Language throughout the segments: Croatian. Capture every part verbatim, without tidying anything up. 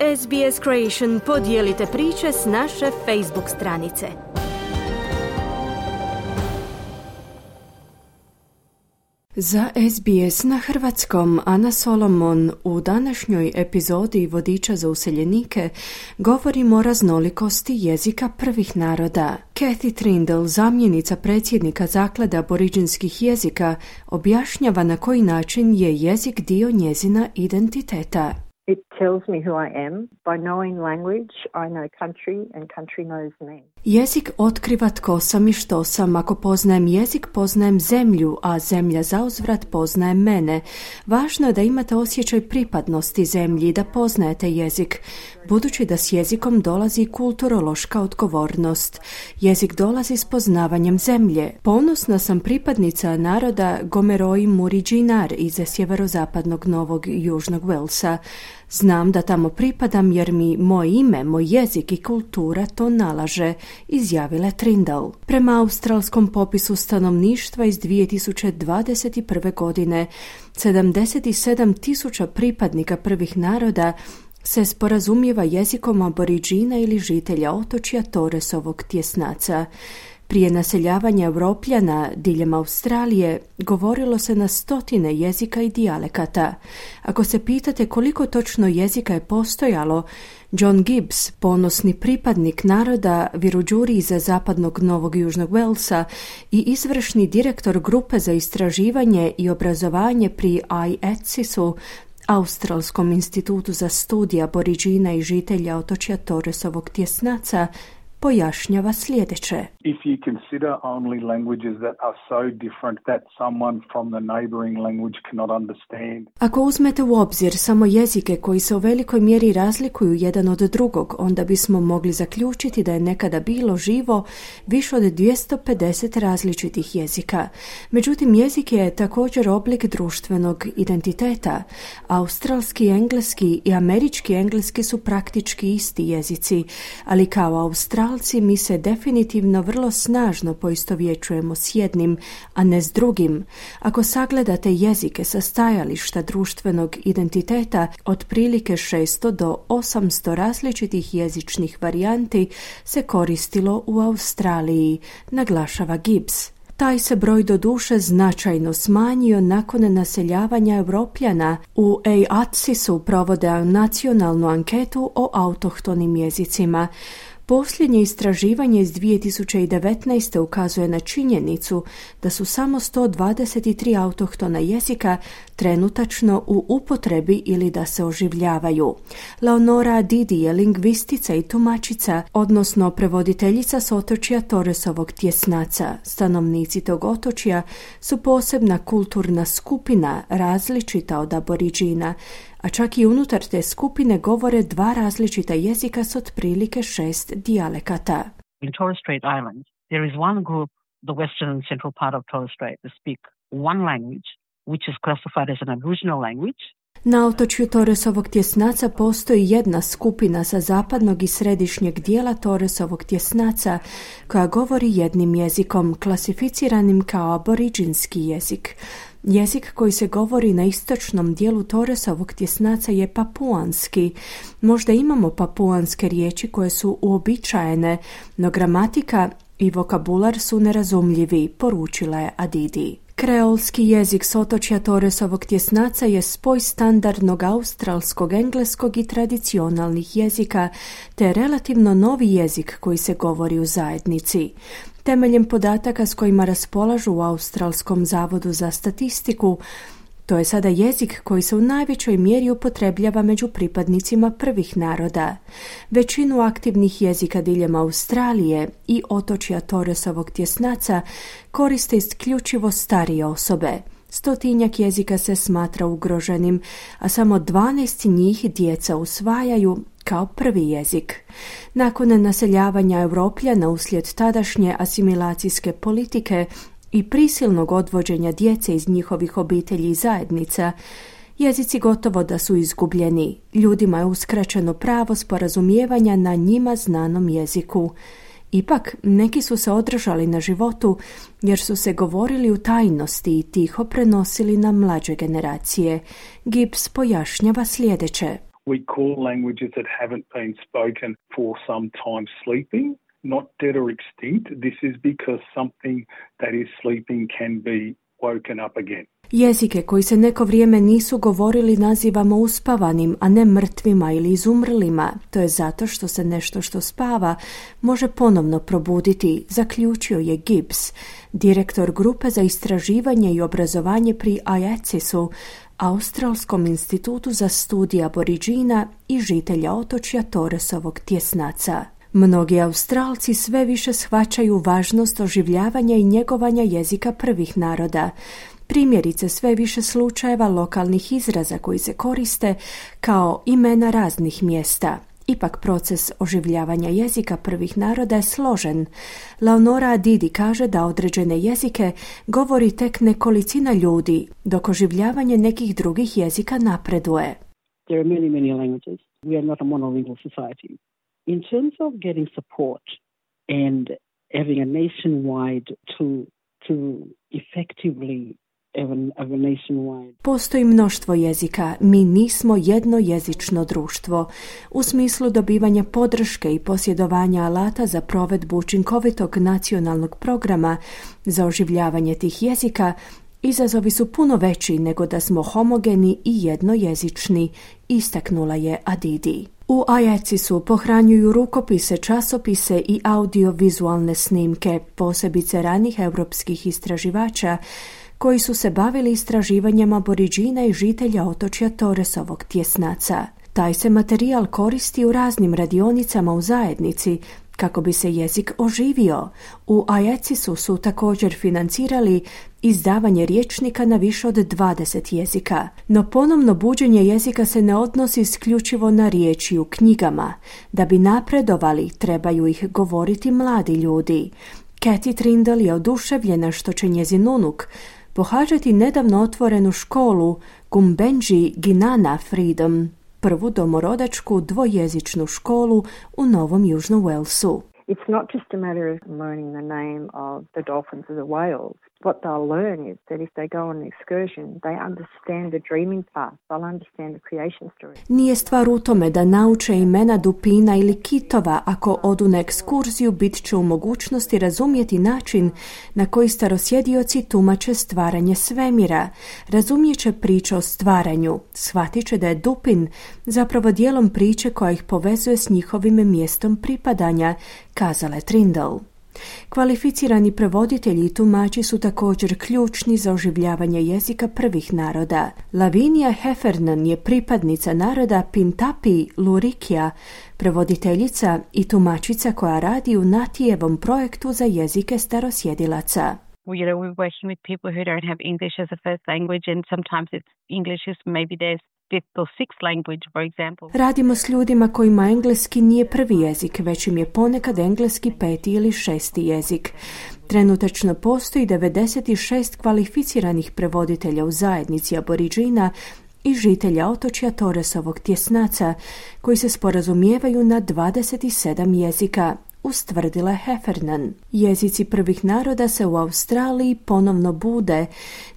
S B S Creation podijelite priče s naše Facebook stranice. Za S B S na hrvatskom Ana Solomon u današnjoj epizodi Vodiča za useljenike govorimo o raznolikosti jezika prvih naroda. Kathy Trindle, zamjenica predsjednika Zaklade aboriđinskih jezika, objašnjava na koji način je jezik dio njezina identiteta. It tells me who I am. By knowing language, I know country and country knows me. Jezik otkriva tko sam i što sam. Ako poznajem jezik, poznajem zemlju, a zemlja zauzvrat poznaje mene. Važno je da imate osjećaj pripadnosti zemlji i da poznajete jezik, budući da s jezikom dolazi kulturološka odgovornost. Jezik dolazi s poznavanjem zemlje. Ponosna sam pripadnica naroda Gomeroi Muriđinar iz sjeverozapadnog Novog i Južnog Walesa. Znam da tamo pripadam jer mi moj ime, moj jezik i kultura to nalaže, izjavila Trindle. Prema australskom popisu stanovništva iz dvije tisuće dvadeset prve. godine, sedamdeset sedam tisuća pripadnika prvih naroda se sporazumijeva jezikom aboriđina ili žitelja otočja Torresovog tjesnaca. Prije naseljavanja Europljana diljem Australije govorilo se na stotine jezika i dijalekata. Ako se pitate koliko točno jezika je postojalo, John Gibbs, ponosni pripadnik naroda Wiradjuri iz zapadnog Novog i Južnog Walesa i izvršni direktor grupe za istraživanje i obrazovanje pri I A T S I S-u, Australskom institutu za studije aboriđina i žitelja otočja Torresovog tjesnaca, pojašnjava sljedeće. If you consider only languages that are so different that someone from the neighboring language cannot understand. Ako uzmete u obzir samo jezike koji se u velikoj mjeri razlikuju jedan od drugog, onda bismo mogli zaključiti da je nekada bilo živo više od dvjesto pedeset različitih jezika. Međutim, jezik je također oblik društvenog identiteta. Australski engleski i američki engleski su praktički isti jezici, ali kao Australci mi se definitivno vrlo snažno poistovjećujemo s jednim, a ne s drugim. Ako sagledate jezike sa stajališta društvenog identiteta, otprilike šesto do osamsto različitih jezičnih varijanti se koristilo u Australiji, naglašava Gibbs. Taj se broj do duše značajno smanjio nakon naseljavanja Europljana. U A T S I S-u provode nacionalnu anketu o autohtonim jezicima. Posljednje istraživanje iz dvije tisuće devetnaeste. ukazuje na činjenicu da su samo sto dvadeset tri autohtona jezika trenutačno u upotrebi ili da se oživljavaju. Leonora Didi je lingvistica i tumačica, odnosno prevoditeljica s otočja Torresovog tjesnaca. Stanovnici tog otočja su posebna kulturna skupina, različita od aboriđina, a čak i unutar te skupine govore dva različita jezika s otprilike šest dijalekata. In Torres Strait Islands, there is one group, the western and central part of Torres Strait, that speak one language, which is classified as an Aboriginal language. Na otočju Torresovog tjesnaca postoji jedna skupina sa zapadnog i središnjeg dijela Torresovog tjesnaca koja govori jednim jezikom, klasificiranim kao aboriđinski jezik. Jezik koji se govori na istočnom dijelu Torresovog tjesnaca je papuanski. Možda imamo papuanske riječi koje su uobičajene, no gramatika i vokabular su nerazumljivi, poručila je Adidi. Kreolski jezik s otočja Torresovog tjesnaca je spoj standardnog australskog, engleskog i tradicionalnih jezika, te relativno novi jezik koji se govori u zajednici. Temeljem podataka s kojima raspolažu u Australskom zavodu za statistiku, to je sada jezik koji se u najvećoj mjeri upotrebljava među pripadnicima prvih naroda. Većinu aktivnih jezika diljem Australije i otočja Torresovog tjesnaca koriste isključivo starije osobe. Stotinjak jezika se smatra ugroženim, a samo dvanaest njih djeca usvajaju kao prvi jezik. Nakon naseljavanja Europljana uslijed tadašnje asimilacijske politike i prisilnog odvođenja djece iz njihovih obitelji i zajednica, jezici gotovo da su izgubljeni. Ljudima je uskraćeno pravo sporazumijevanja na njima znanom jeziku. Ipak, neki su se održali na životu jer su se govorili u tajnosti i tiho prenosili na mlađe generacije. Gibbs pojašnjava sljedeće. We call languages that haven't been spoken for some time sleeping, not dead or extinct. This is because something that is sleeping can be woken up again. Jezike koji se neko vrijeme nisu govorili nazivamo uspavanim, a ne mrtvima ili izumrlima. To je zato što se nešto što spava može ponovno probuditi, zaključio je Gibbs, direktor grupe za istraživanje i obrazovanje pri I A C I S-u, Australskom institutu za studije aboriđina i žitelja otočja Torresovog tjesnaca. Mnogi Australci sve više shvaćaju važnost oživljavanja i njegovanja jezika prvih naroda. Primjerice sve više slučajeva lokalnih izraza koji se koriste kao imena raznih mjesta. Ipak proces oživljavanja jezika prvih naroda je složen. Leonora Adidi kaže da određene jezike govori tek nekolicina ljudi, dok oživljavanje nekih drugih jezika napreduje. There are many, many languages. We are not a monolingual society. In terms of getting support and having a nationwide to to effectively Postoji mnoštvo jezika, mi nismo jednojezično društvo. U smislu dobivanja podrške i posjedovanja alata za provedbu učinkovitog nacionalnog programa za oživljavanje tih jezika, izazovi su puno veći nego da smo homogeni i jednojezični, istaknula je Adidi. U I A C I S-u pohranjuju rukopise, časopise i audiovizualne snimke, posebice ranih europskih istraživača, koji su se bavili istraživanjem aboriđina i žitelja otočja Torresovog tjesnaca. Taj se materijal koristi u raznim radionicama u zajednici kako bi se jezik oživio. U I A C I S-u su također financirali izdavanje rječnika na više od dvadeset jezika. No ponovno buđenje jezika se ne odnosi isključivo na riječi u knjigama. Da bi napredovali, trebaju ih govoriti mladi ljudi. Cathy Trindle je oduševljena što će njezin unuk pohađati nedavno otvorenu školu Gumbenji Ginana Freedom, prvu domorodačku dvojezičnu školu u Novom Južnom Walesu. It's not just a matter of learning the name of the dolphins or the whales. What they'll learn is that if they go on an excursion, they understand the dreaming path, they'll understand the creation story. Nije stvar u tome da nauče imena dupina ili kitova. Ako odu na ekskurziju, bit će u mogućnosti razumjeti način na koji starosjedioci tumače stvaranje svemira. Razumjet će priče o stvaranju. Shvatit će da je dupin zapravo dijelom priče koja ih povezuje s njihovim mjestom pripadanja, kazala je Trindle. Kvalificirani prevoditelji i tumači su također ključni za oživljavanje jezika prvih naroda. Lavinia Heffernan je pripadnica naroda Pintapi Lurikija, prevoditeljica i tumačica koja radi u Natijevom projektu za jezike starosjedilaca. Well, you know, we're working with people who don't have English as a first language, and sometimes it's English is maybe their fifth or sixth language, for example. Radimo s ljudima kojima engleski nije prvi jezik, već im je ponekad engleski peti ili šesti jezik. Trenutačno postoji devedeset šest kvalificiranih prevoditelja u zajednici aboriđina i žitelja otočja Torresovog tjesnaca, koji se sporazumijevaju na dvadeset sedam jezika, ustvrdila Heffernan. Jezici prvih naroda se u Australiji ponovno bude.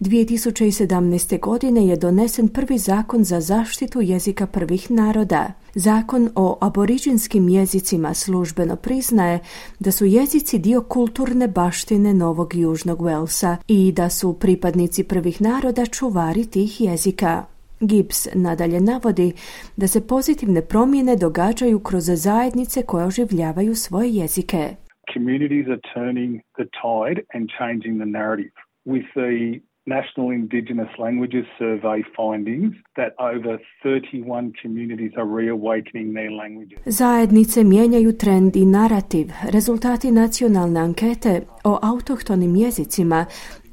dvije tisuće sedamnaeste. godine je donesen prvi zakon za zaštitu jezika prvih naroda. Zakon o aboriđinskim jezicima službeno priznaje da su jezici dio kulturne baštine Novog Južnog Walesa i da su pripadnici prvih naroda čuvari tih jezika. Gibbs nadalje navodi da se pozitivne promjene događaju kroz zajednice koje oživljavaju svoje jezike. Communities are turning the tide and changing the narrative. With the National Indigenous Languages Survey findings that over thirty-one communities are reawakening their languages. Zajednice mijenjaju trend i narativ. Rezultati nacionalne ankete o autohtonim jezicima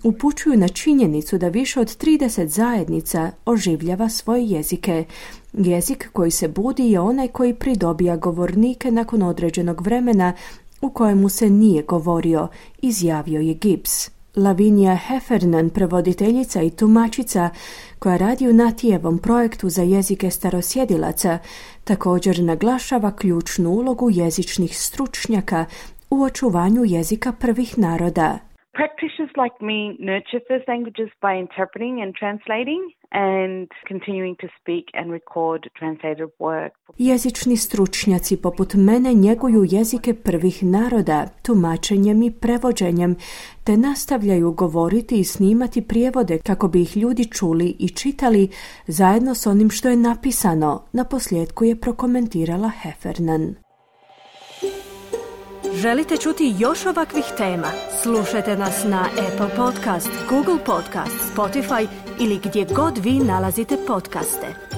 upućuju na činjenicu da više od trideset zajednica oživljava svoje jezike. Jezik koji se budi je onaj koji pridobija govornike nakon određenog vremena u kojemu se nije govorio, izjavio je Gibbs. Lavinia Heffernan, prevoditeljica i tumačica koja radi u Natijevom projektu za jezike starosjedilaca, također naglašava ključnu ulogu jezičnih stručnjaka u očuvanju jezika prvih naroda. Practitioners like me nurture first languages by interpreting and translating and continuing to speak and record translated work. Jezični stručnjaci poput mene njeguju jezike prvih naroda, tumačenjem i prevođenjem, te nastavljaju govoriti i snimati prijevode kako bi ih ljudi čuli i čitali zajedno s onim što je napisano, naposljetku je prokomentirala Heffernan. Želite čuti još ovakvih tema? Slušajte nas na Apple Podcast, Google Podcast, Spotify ili gdje god vi nalazite podcaste.